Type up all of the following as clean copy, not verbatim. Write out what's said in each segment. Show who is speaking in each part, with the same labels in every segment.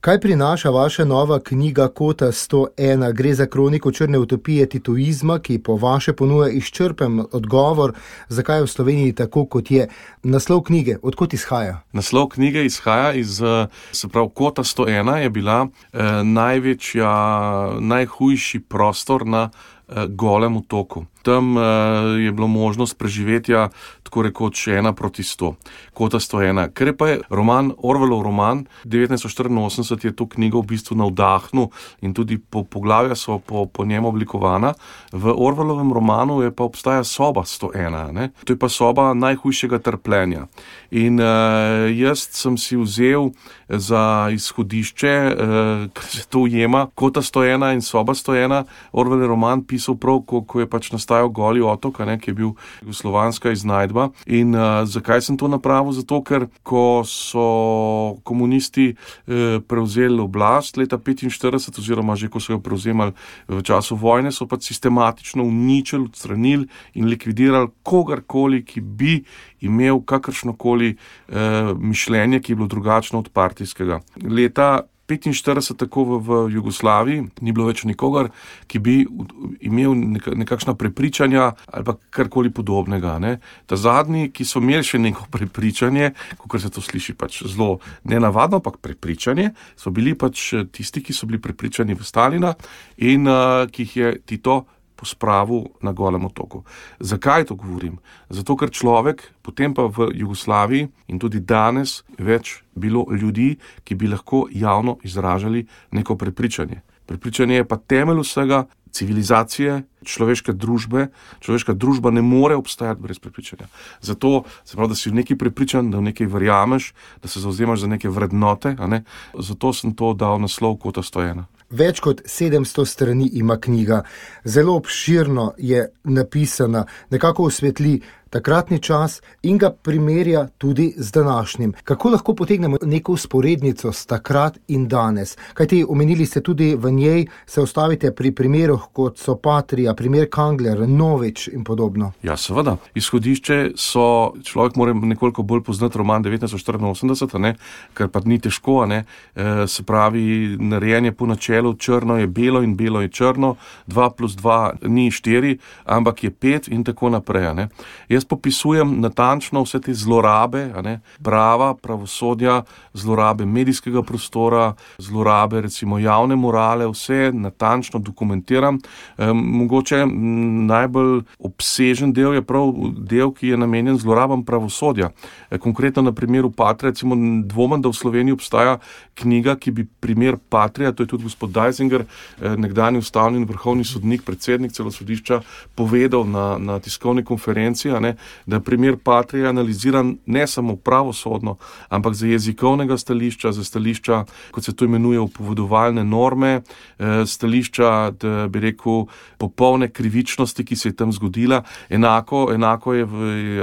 Speaker 1: Kaj prinaša vaša nova knjiga Kota 101? Gre za kroniko črne utopije titoizma, ki po vaše ponuja izčrpen odgovor, zakaj je v Sloveniji tako, kot je. Naslov knjige, odkot izhaja?
Speaker 2: Naslov knjige izhaja iz, se pravi, Kota 101 je bila najhujši prostor na Golem otoku. Tam je bilo možnost preživetja tako rekoč 1:100. Kota 101. Ker pa je Orwellov roman 1984 je to knjigo v bistvu navdahnil in tudi poglavja so po njem oblikovana. V Orwellovem romanu pa obstaja soba 101. Ne? To je pa soba najhujšega trpljenja. In jaz sem si vzel za izhodišče, ker se to ujema, Kota 101 in soba 101, Orwellov roman pisal prav, ko je pač nastajal Goli otok, ki je bil jugoslovanska iznajdba. In zakaj sem to napravil? Zato, ker ko so komunisti prevzeli oblast leta 1945, oziroma že ko so jo prevzemali v času vojne, so pač sistematično uničili, odstranili in likvidirali kogarkoli, ki bi imel kakršnokoli mišljenje, ki je bilo drugačno od partijskega. Leta 1945, tako v Jugoslaviji, ni bilo več nikogar, ki bi imel nekakšna prepričanja ali pa karkoli podobnega. Ne. Ta zadnji, ki so imeli še neko prepričanje, kakor se to sliši pač zelo nenavadno, ampak prepričanje, so bili pač tisti, ki so bili prepričani v Stalina in ki jih je Tito pospravil na Golem otoku. Zakaj to govorim? Zato, ker človek, potem pa v Jugoslaviji in tudi danes več bilo ljudi, ki bi lahko javno izražali neko prepričanje. Prepričanje je pa temelj vsega, civilizacije, človeške družbe. Človeška družba ne more obstajati brez prepričanja. Zato, se pravi, da si v nekaj prepričan, da v nekaj verjameš, da se zavzemaš za neke vrednote, a ne? Zato sem to dal naslov Kota 101.
Speaker 1: Več kot 700 strani ima knjiga, zelo obširno je napisana, nekako osvetli takratni čas in ga primerja tudi z današnjim. Kako lahko potegnemo neko vzporednico s takrat in danes? Kajti omenili ste tudi v njej, se ustavite pri primerih, kot so Patria, primer Kangler, Novič in podobno.
Speaker 2: Ja, seveda. Izhodišče so, človek mora nekoliko bolj poznati roman 1984, ne, ker pa ni težko, ne, se pravi, narejen je po načelu črno je belo in belo je črno, 2 + 2 ni 4, ampak je 5 in tako naprej, ne. Jaz popisujem natančno vse te zlorabe, prava, pravosodja, zlorabe medijskega prostora, zlorabe recimo javne morale, vse natančno dokumentiram. Mogoče najbolj obsežen del je prav del, ki je namenjen zlorabam pravosodja. Konkretno na primeru Patria, recimo dvomim, da v Sloveniji obstaja knjiga, ki bi primer Patria, to je tudi gospod Deisinger, nekdanji ustavni in vrhovni sodnik, predsednik celo sodišča, povedal na tiskovni konferenci, da primer Patria analiziran ne samo pravosodno, ampak za jezikovnega stališča, za stališča, kot se to imenuje, upovedovalne norme, stališča, da bi rekel, popolne krivičnosti, ki se je tam zgodila. Enako je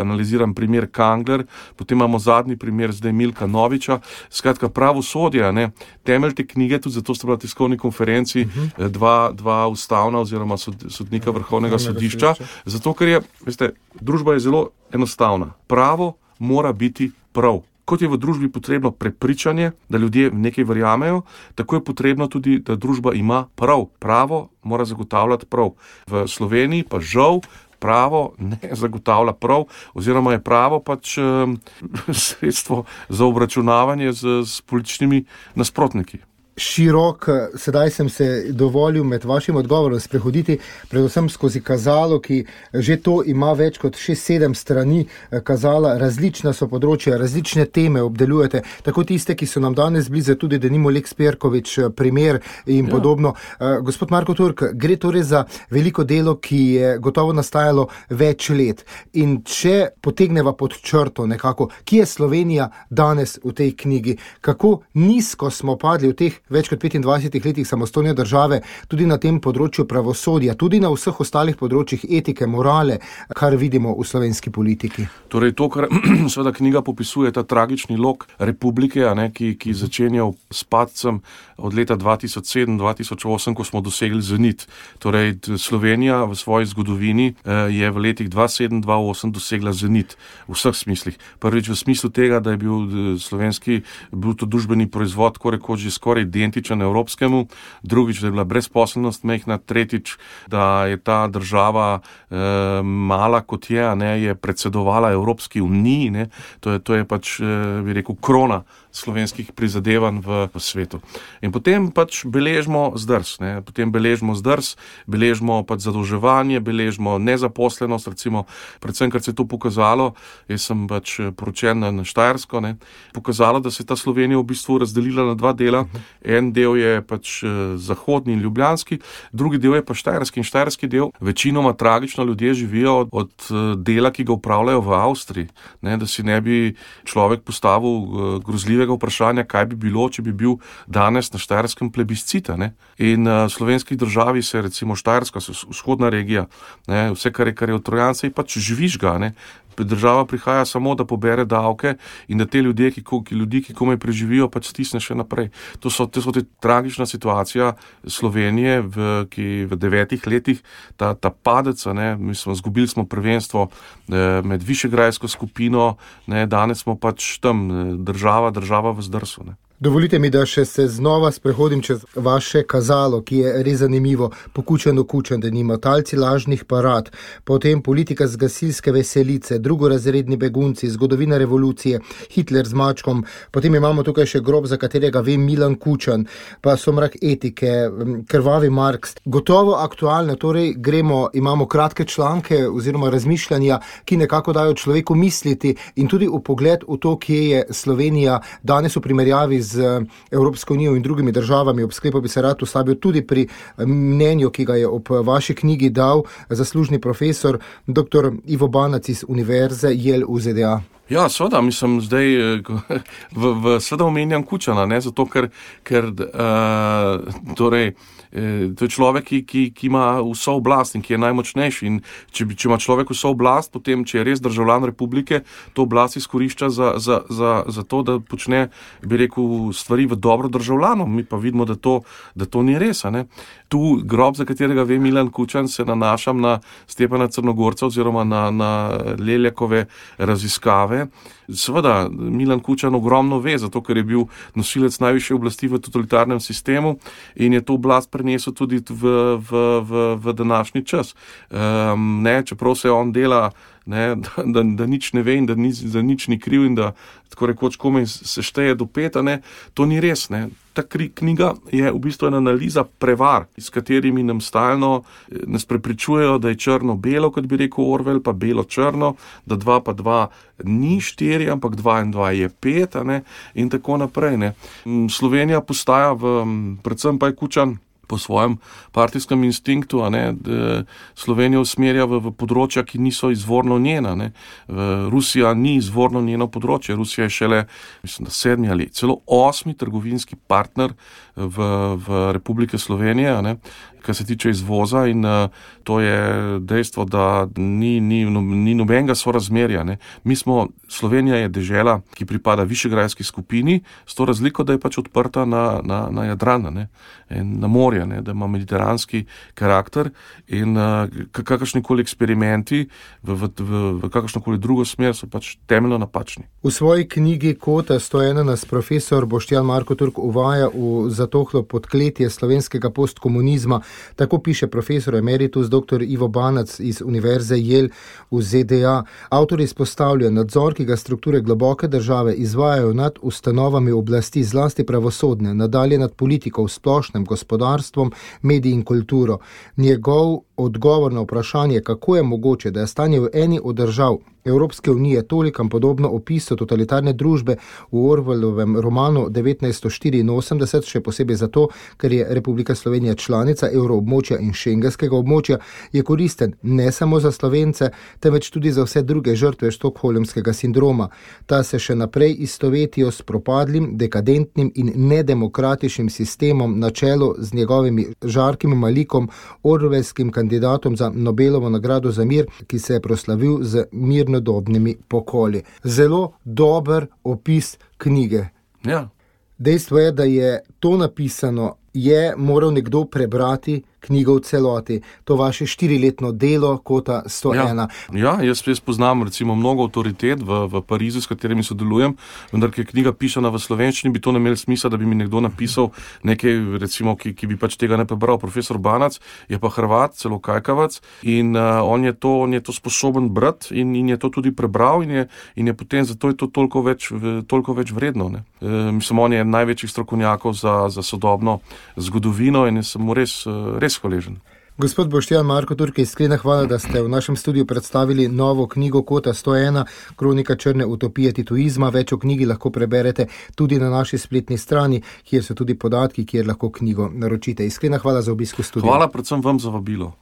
Speaker 2: analiziran primer Kangler, potem imamo zadnji primer zdaj Milka Noviča. Skratka, pravosodje, temelj te knjige, tudi zato sta bila tiskovni konferenci dva ustavna oziroma sodnika vrhovnega sodišča, zato ker je, veste, družba je zelo enostavna. Pravo mora biti prav. Kot je v družbi potrebno prepričanje, da ljudje v nekaj verjamejo, tako je potrebno tudi, da družba ima prav. Pravo mora zagotavljati prav. V Sloveniji pa žal pravo ne zagotavlja prav, oziroma je pravo pač sredstvo za obračunavanje z političnimi nasprotniki.
Speaker 1: Širok, sedaj sem se dovolil med vašim odgovorom sprehoditi predvsem skozi kazalo, ki že to ima več kot 6-7 strani kazala, različna so področja, različne teme obdelujete, tako tiste, ki so nam danes blizu, tudi denimo Lex Perkovič, primer in podobno. Gospod Marko Turk, gre torej za veliko delo, ki je gotovo nastajalo več let. In če potegneva pod črto nekako, kje je Slovenija danes v tej knjigi? Kako nizko smo padli v teh več kot 25 letih samostojne države, tudi na tem področju pravosodja, tudi na vseh ostalih področjih etike, morale, kar vidimo v slovenski politiki.
Speaker 2: Torej to, kar seveda knjiga popisuje, ta tragični lok republike, ki začenjal s padcem od leta 2007-2008, ko smo dosegli zenit. Torej Slovenija v svoji zgodovini je v letih 2007-2008 dosegla zenit v vseh smislih. Prvič v smislu tega, da je bil slovenski bruto družbeni proizvod, tako rekoč že skoraj identičen evropskemu, drugič, da je bila brezposelnost mehna, tretjič, da je ta država mala kot je predsedovala Evropski uniji, ne. To je pač, bi rekel, krona slovenskih prizadevanj v svetu. In potem pač beležimo zdrs, ne. Potem beležimo pač zadolževanje, beležimo nezaposlenost, recimo, predvsem, ker se je to pokazalo, jaz sem pač poročen na Štajersko, ne, pokazalo, da se je ta Slovenija v bistvu razdelila na dva dela. En del je pač zahodni in ljubljanski, drugi del je pa štajerski. In štajerski del večinoma tragično ljudje živijo od dela, ki ga upravljajo v Avstriji, ne, da si ne bi človek postavil grozljivega vprašanja, kaj bi bilo, če bi bil danes na Štajerskem plebiscita, ne. In slovenski državi se recimo Štajerska, vzhodna regija, ne, vse, kar je od Trojancev, pač žvižga, ne. Država prihaja samo, da pobere davke in da te ljudi, ki komaj preživijo, pač stisne še naprej. To so te tragična situacija Slovenije, ki v 9 letih, ta padec, ne, izgubili smo prvenstvo med Višegrajsko skupino, ne, danes smo pač tam država v zdrsu, ne.
Speaker 1: Dovolite mi, da še se znova sprehodim čez vaše kazalo, ki je res zanimivo. Pokučen, da nima talci lažnih parad, potem politika z gasilske veselice, drugorazredni begunci, zgodovina revolucije, Hitler z mačkom, potem imamo tukaj še grob, za katerega ve Milan Kučan, pa Somrak etike, krvavi Marks. Gotovo aktualne, torej imamo kratke članke oziroma razmišljanja, ki nekako dajo človeku misliti in tudi vpogled v to, kje je Slovenija danes v primerjavi z Evropsko unijo in drugimi državami. Ob sklepu bi se rad ustavil tudi pri mnenju, ki ga je ob vaši knjigi dal zaslužni profesor dr. Ivo Banac iz Univerze Yale v ZDA.
Speaker 2: Ja, seveda, mislim, zdaj seveda omenjam Kučana, ne, zato ker torej, to je človek, ki ima vso oblast in ki je najmočnejši. In če ima človek vso oblast, potem, če je res državljan republike, to oblast izkorišča za to, da počne, bi rekel, stvari v dobro državljanom. Mi pa vidimo, da to ni res, ne. Tu grob, za katerega ve Milan Kučan, se nanašam na Stjepana Crnogorca oziroma na Leljakove raziskave. Seveda, Milan Kučan ogromno ve, zato ker je bil nosilec najvišje oblasti v totalitarnem sistemu in je to oblast prenesel tudi v današnji čas. Ne, čeprav se on dela, ne, da nič ne ve in da nič ni kriv in da tako rekoč komaj se šteje do 5, ne, to ni res, ne. Ta knjiga je v bistvu ena analiza prevar, s katerimi nam stalno nas prepričujejo, da je črno-belo, kot bi rekel Orwell, pa belo-črno, da 2 pa 2 ni 4, ampak 2 in 2 je 5, ne, in tako naprej, ne. Slovenija postaja predvsem pa je Kučan po svojem partijskem instinktu, Slovenijo usmerja v področja, ki niso izvorno njena, ne. Rusija ni izvorno njeno področje. Rusija je šele, mislim, da 7 ali celo 8 trgovinski partner v Republike Slovenije, ne, kar se tiče izvoza, in to je dejstvo, da ni nobenega sorazmerja, ne. Slovenija je dežela, ki pripada Višegrajski skupini, s to razliko, da je pač odprta na Jadran, ne, in na morje, ne, da ima mediteranski karakter in kakršnikoli eksperimenti v kakršnokoli drugo smer so pač temeljno napačni.
Speaker 1: V svoji knjigi Kota 101 nas profesor Boštjan Marko Turk uvaja v zatohlo podkletje slovenskega postkomunizma. Tako piše profesor emeritus dr. Ivo Banac iz Univerze Yale v ZDA. Avtor izpostavlja nadzor, ki ga strukture globoke države izvajajo nad ustanovami oblasti, zlasti pravosodne, nadalje nad politiko v splošnem, gospodarstvom, mediji in kulturo. Njegov odgovor na vprašanje, kako je mogoče, da je stanje v eni od držav Evropske unije tolikam podobno opisu totalitarne družbe v Orwellovem romanu 1984, še posebej zato, ker je Republika Slovenija članica evroobmočja in šengenskega območja, je koristen ne samo za Slovence, temveč tudi za vse druge žrtve štokholmskega sindroma. Ta se še naprej istovetijo s propadlim, dekadentnim in nedemokratičnim sistemom na čelu z njegovimi žarkim malikom, orwellskim kandidatom za Nobelovo nagrado za mir, ki se je proslavil z mirnodobnimi pokoli. Zelo dober opis knjige.
Speaker 2: Ja.
Speaker 1: Dejstvo je, da je to napisano, je moral nekdo prebrati, knjigo v celoti, to vaše 4-letno delo Kota 101.
Speaker 2: Ja, jaz poznam recimo mnogo avtoritet v Parizu, s katerimi sodelujem, vendar, ker je knjiga pisana v slovenščini, bi to ne imel smisla, da bi mi nekdo napisal nekaj, recimo, ki bi pač tega ne prebral. Profesor Banac je pa Hrvat, celo kajkavac, in on je to sposoben brati in je to tudi prebral in je potem, zato je to toliko več vredno. Ne. Mislim, on je eden največjih strokovnjakov za sodobno zgodovino in sem mu res hvaležen.
Speaker 1: Gospod Boštjan Marko Turk, iskrena hvala, da ste v našem studiu predstavili novo knjigo Kota 101, Kronika črne utopije tituizma. Več o knjigi lahko preberete tudi na naši spletni strani, kjer so tudi podatki, kjer lahko knjigo naročite. Iskrena hvala za obisk v studiu.
Speaker 2: Hvala predvsem vam za vabilo.